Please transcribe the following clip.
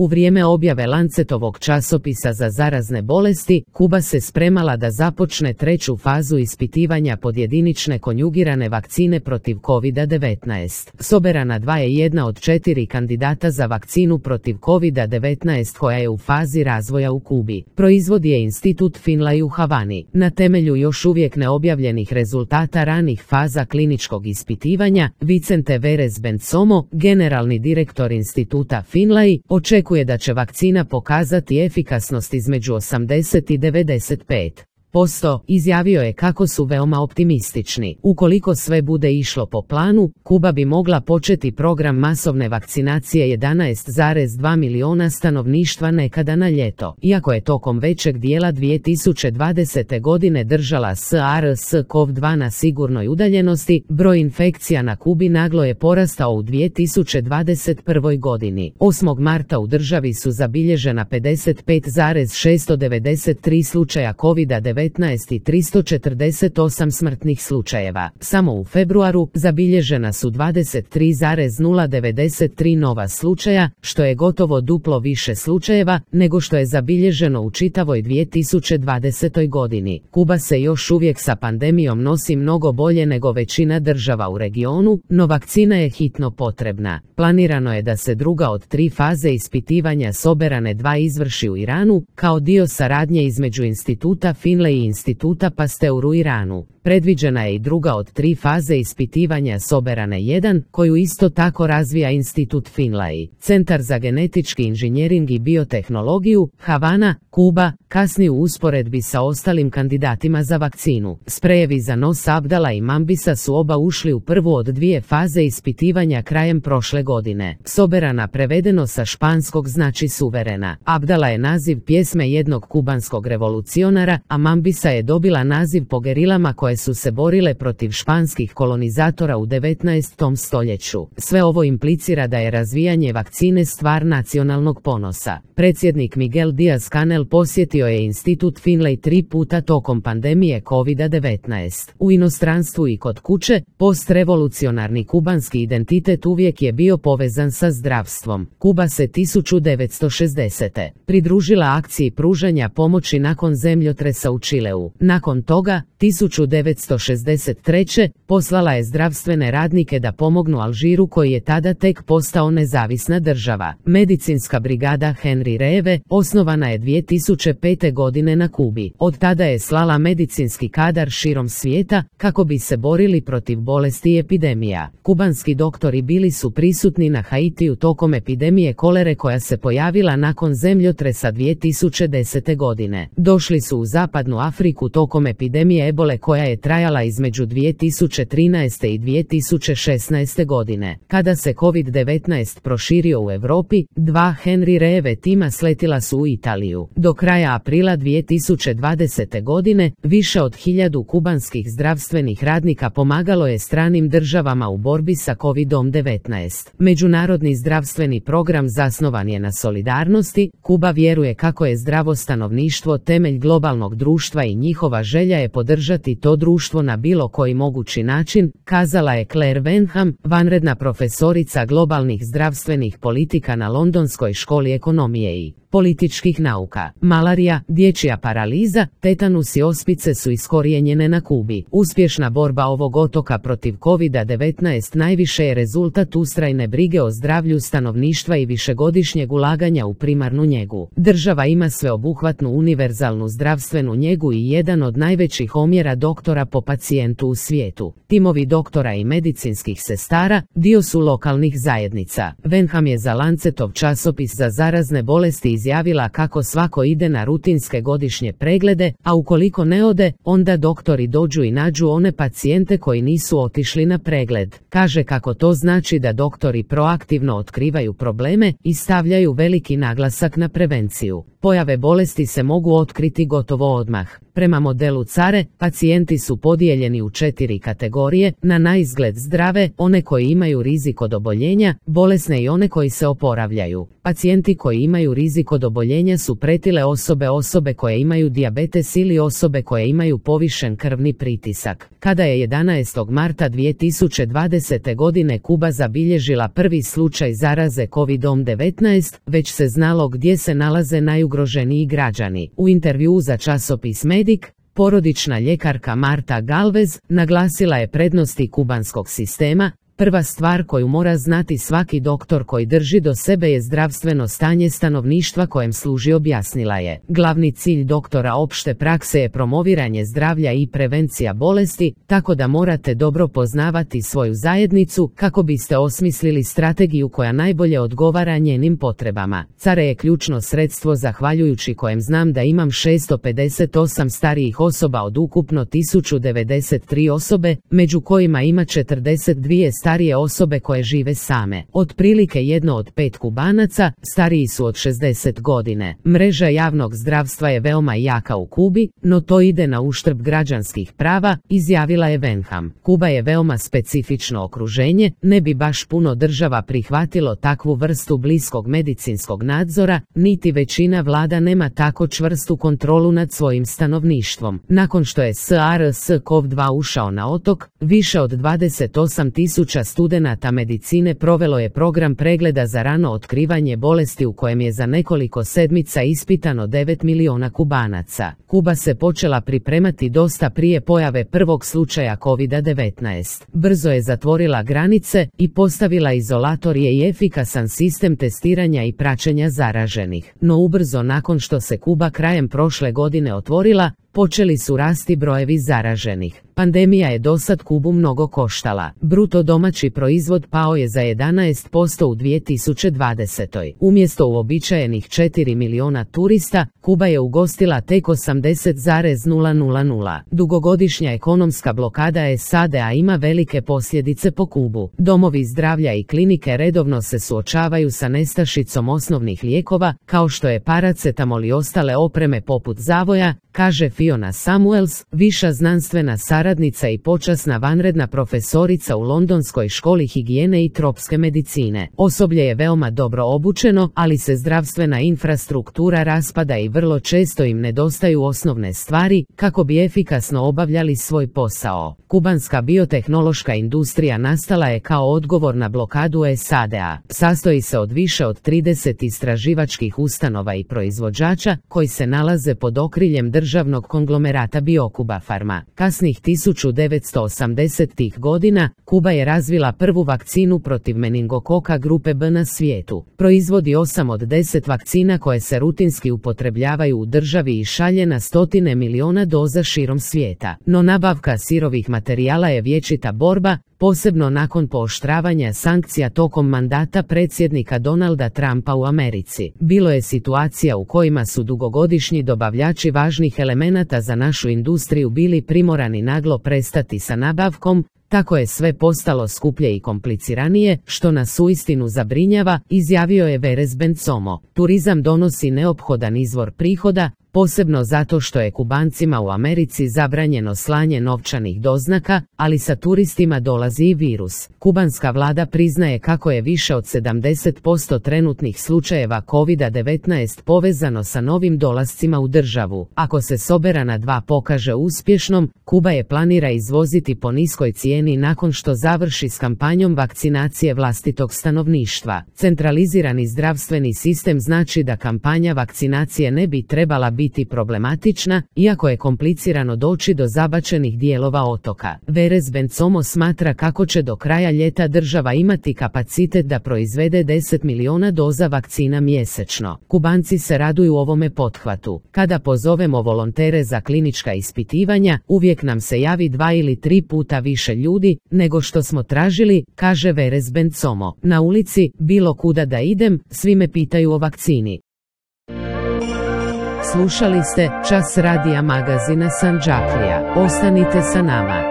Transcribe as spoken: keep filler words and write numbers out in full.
U vrijeme objave Lancetovog časopisa za zarazne bolesti, Kuba se spremala da započne treću fazu ispitivanja podjedinične konjugirane vakcine protiv kovid devetnaest. Soberana dva je jedna od četiri kandidata za vakcinu protiv kovid devetnaest koja je u fazi razvoja u Kubi. Proizvod je Institut Finlay u Havani. Na temelju još uvijek neobjavljenih rezultata ranih faza kliničkog ispitivanja, Vicente Verez Bensomo, generalni direktor Instituta Finlay, očekuje da će vakcina pokazati efikasnost između osamdeset i devedeset pet posto, izjavio je kako su veoma optimistični. Ukoliko sve bude išlo po planu, Kuba bi mogla početi program masovne vakcinacije jedanaest zarez dva miliona stanovništva nekada na ljeto. Iako je tokom većeg dijela dvije tisuće dvadesete. godine držala SARS-CoV dva na sigurnoj udaljenosti, broj infekcija na Kubi naglo je porastao u dvije tisuće dvadeset prvoj. godini. osmog marta u državi su zabilježena pedeset pet zarez šesto devedeset tri slučaja kovid devetnaest i tristo četrdeset osam smrtnih slučajeva. Samo u februaru zabilježena su dvadeset tri zarez nula devedeset tri nova slučaja, što je gotovo duplo više slučajeva nego što je zabilježeno u čitavoj dvije tisuće dvadesetoj. godini. Kuba se još uvijek sa pandemijom nosi mnogo bolje nego većina država u regionu, no vakcina je hitno potrebna. Planirano je da se druga od tri faze ispitivanja Soberane dva izvrši u Iranu, kao dio saradnje između Instituta Finlay i Instituta Pasteur u Iranu. Predviđena je i druga od tri faze ispitivanja Soberane jedan, koju isto tako razvija Institut Finlay. Centar za genetički inženjering i biotehnologiju, Havana, Kuba, kasni u usporedbi sa ostalim kandidatima za vakcinu. Sprejevi za nos Abdala i Mambisa su oba ušli u prvu od dvije faze ispitivanja krajem prošle godine. Soberana prevedeno sa španskog znači suverena. Abdala je naziv pjesme jednog kubanskog revolucionara, a Mambisa je dobila naziv po gerilama koje su se borile protiv španskih kolonizatora u devetnaestom stoljeću. Sve ovo implicira da je razvijanje vakcine stvar nacionalnog ponosa. Predsjednik Miguel Díaz-Canel posjetio je Institut Finlay tri puta tokom pandemije kovid devetnaest. U inostranstvu i kod kuće, postrevolucionarni kubanski identitet uvijek je bio povezan sa zdravstvom. Kuba se tisuću devetsto šezdesete. pridružila akciji pružanja pomoći nakon zemljotresa u Čileu. Nakon toga, tisuću devetsto šezdeset treće. poslala je zdravstvene radnike da pomognu Alžiru koji je tada tek postao nezavisna država. Medicinska brigada Henry Reeve osnovana je dvije tisuće pete. godine na Kubi. Od tada je slala medicinski kadar širom svijeta kako bi se borili protiv bolesti i epidemija. Kubanski doktori bili su prisutni na Haitiju tokom epidemije kolere koja se pojavila nakon zemljotresa dvije tisuće desete. godine. Došli su u zapadnu Afriku tokom epidemije ebole koja je trajala između dvije tisuće trinaeste. i dvije tisuće šesnaeste. godine. Kada se kovid devetnaest proširio u Europi, dva Henry Reeve tima sletila su u Italiju. Do kraja aprila dvije tisuće dvadesete. godine više od hiljadu kubanskih zdravstvenih radnika pomagalo je stranim državama u borbi sa kovid devetnaest. Međunarodni zdravstveni program zasnovan je na solidarnosti. Kuba vjeruje kako je zdravo stanovništvo temelj globalnog društva i njihova želja je podržati to društvo na bilo koji mogući način, kazala je Claire Wenham, vanredna profesorica globalnih zdravstvenih politika na Londonskoj školi ekonomije i političkih nauka. Malarija, dječja paraliza, tetanus i ospice su iskorijenjene na Kubi. Uspješna borba ovog otoka protiv kovid devetnaest najviše je rezultat ustrajne brige o zdravlju stanovništva i višegodišnjeg ulaganja u primarnu njegu. Država ima sveobuhvatnu univerzalnu zdravstvenu njegu i jedan od najvećih omjera doktora po pacijentu u svijetu. Timovi doktora i medicinskih sestara dio su lokalnih zajednica. Wenham je za Lancetov časopis za zarazne bolesti izjavila kako svako ide na rutinske godišnje preglede, a ukoliko ne ode, onda doktori dođu i nađu one pacijente koji nisu otišli na pregled. Kaže kako to znači da doktori proaktivno otkrivaju probleme i stavljaju veliki naglasak na prevenciju. Pojave bolesti se mogu otkriti gotovo odmah. Prema modelu C A R E, pacijenti su podijeljeni u četiri kategorije, na naizgled zdrave, one koji imaju rizik od oboljenja, bolesne i one koji se oporavljaju. Pacijenti koji imaju rizik od oboljenja su pretile osobe, osobe koje imaju dijabetes ili osobe koje imaju povišen krvni pritisak. Kada je jedanaestog marta dvije tisuće dvadesete godine Kuba zabilježila prvi slučaj zaraze kovidom devetnaest, već se znalo gdje se nalaze najugroženiji građani. U intervjuu za časopis Medic, porodična ljekarka Marta Galvez naglasila je prednosti kubanskog sistema. Prva stvar koju mora znati svaki doktor koji drži do sebe je zdravstveno stanje stanovništva kojem služi, objasnila je. Glavni cilj doktora opšte prakse je promoviranje zdravlja i prevencija bolesti, tako da morate dobro poznavati svoju zajednicu kako biste osmislili strategiju koja najbolje odgovara njenim potrebama. C A R E je ključno sredstvo zahvaljujući kojem znam da imam šesto pedeset osam starijih osoba od ukupno tisuću devedeset tri osobe, među kojima ima četrdeset dvije starije osobe koje žive same. Otprilike jedno od pet Kubanaca stariji su od šezdeset godine. Mreža javnog zdravstva je veoma jaka u Kubi, no to ide na uštrb građanskih prava, izjavila je Venham. Kuba je veoma specifično okruženje, ne bi baš puno država prihvatilo takvu vrstu bliskog medicinskog nadzora, niti većina vlada nema tako čvrstu kontrolu nad svojim stanovništvom. Nakon što je SARS-C o V dva ušao na otok, više od dvadeset osam tisuća studenata medicine provelo je program pregleda za rano otkrivanje bolesti u kojem je za nekoliko sedmica ispitano devet miliona Kubanaca. Kuba se počela pripremati dosta prije pojave prvog slučaja kovida devetnaest. Brzo je zatvorila granice i postavila izolatorije i efikasan sistem testiranja i praćenja zaraženih. No ubrzo nakon što se Kuba krajem prošle godine otvorila, počeli su rasti brojevi zaraženih. Pandemija je dosad Kubu mnogo koštala. Bruto domaći proizvod pao je za jedanaest posto u dvije tisuće dvadesetoj. Umjesto uobičajenih četiri miliona turista, Kuba je ugostila tek osamdeset zarez nula nula nula. Dugogodišnja ekonomska blokada S A D A ima velike posljedice po Kubu. Domovi zdravlja i klinike redovno se suočavaju sa nestašicom osnovnih lijekova, kao što je paracetamol i ostale opreme poput zavoja, kaže Fiona Samuels, viša znanstvena saradnica i počasna vanredna profesorica u Londonskoj školi higijene i tropske medicine. Osoblje je veoma dobro obučeno, ali se zdravstvena infrastruktura raspada i vrlo često im nedostaju osnovne stvari kako bi efikasno obavljali svoj posao. Kubanska biotehnološka industrija nastala je kao odgovor na blokadu S A D A. Sastoji se od više od trideset istraživačkih ustanova i proizvođača koji se nalaze pod okriljem državnog konglomerata Biokuba Pharma. Kasnih tisuću devetsto osamdesetih godina Kuba je razvila prvu vakcinu protiv meningokoka grupe B na svijetu. Proizvodi osam od deset vakcina koje se rutinski upotrebljavaju u državi i šalje na stotine miliona doza širom svijeta. No nabavka sirovih materijala je vječita borba, posebno nakon pooštravanja sankcija tokom mandata predsjednika Donalda Trumpa u Americi. Bilo je situacija u kojima su dugogodišnji dobavljači važnih elemenata za našu industriju bili primorani naglo prestati sa nabavkom, tako je sve postalo skuplje i kompliciranije, što nas uistinu zabrinjava, izjavio je Veres Bencomo. Turizam donosi neophodan izvor prihoda, posebno zato što je Kubancima u Americi zabranjeno slanje novčanih doznaka, ali sa turistima dolazi i virus. Kubanska vlada priznaje kako je više od sedamdeset posto trenutnih slučajeva kovida devetnaest povezano sa novim dolascima u državu. Ako se soberana dva pokaže uspješnom, Kuba je planira izvoziti po niskoj cijeni nakon što završi s kampanjom vakcinacije vlastitog stanovništva. Centralizirani zdravstveni sistem znači da kampanja vakcinacije ne bi trebala biti biti problematična, iako je komplicirano doći do zabačenih dijelova otoka. Veres Bencomo smatra kako će do kraja ljeta država imati kapacitet da proizvede deset miliona doza vakcina mjesečno. Kubanci se raduju ovome pothvatu. Kada pozovemo volontere za klinička ispitivanja, uvijek nam se javi dva ili tri puta više ljudi nego što smo tražili, kaže Veres Bencomo. Na ulici, bilo kuda da idem, svi me pitaju o vakcini. Slušali ste Čas radija magazina Sandžaklija. Ostanite sa nama.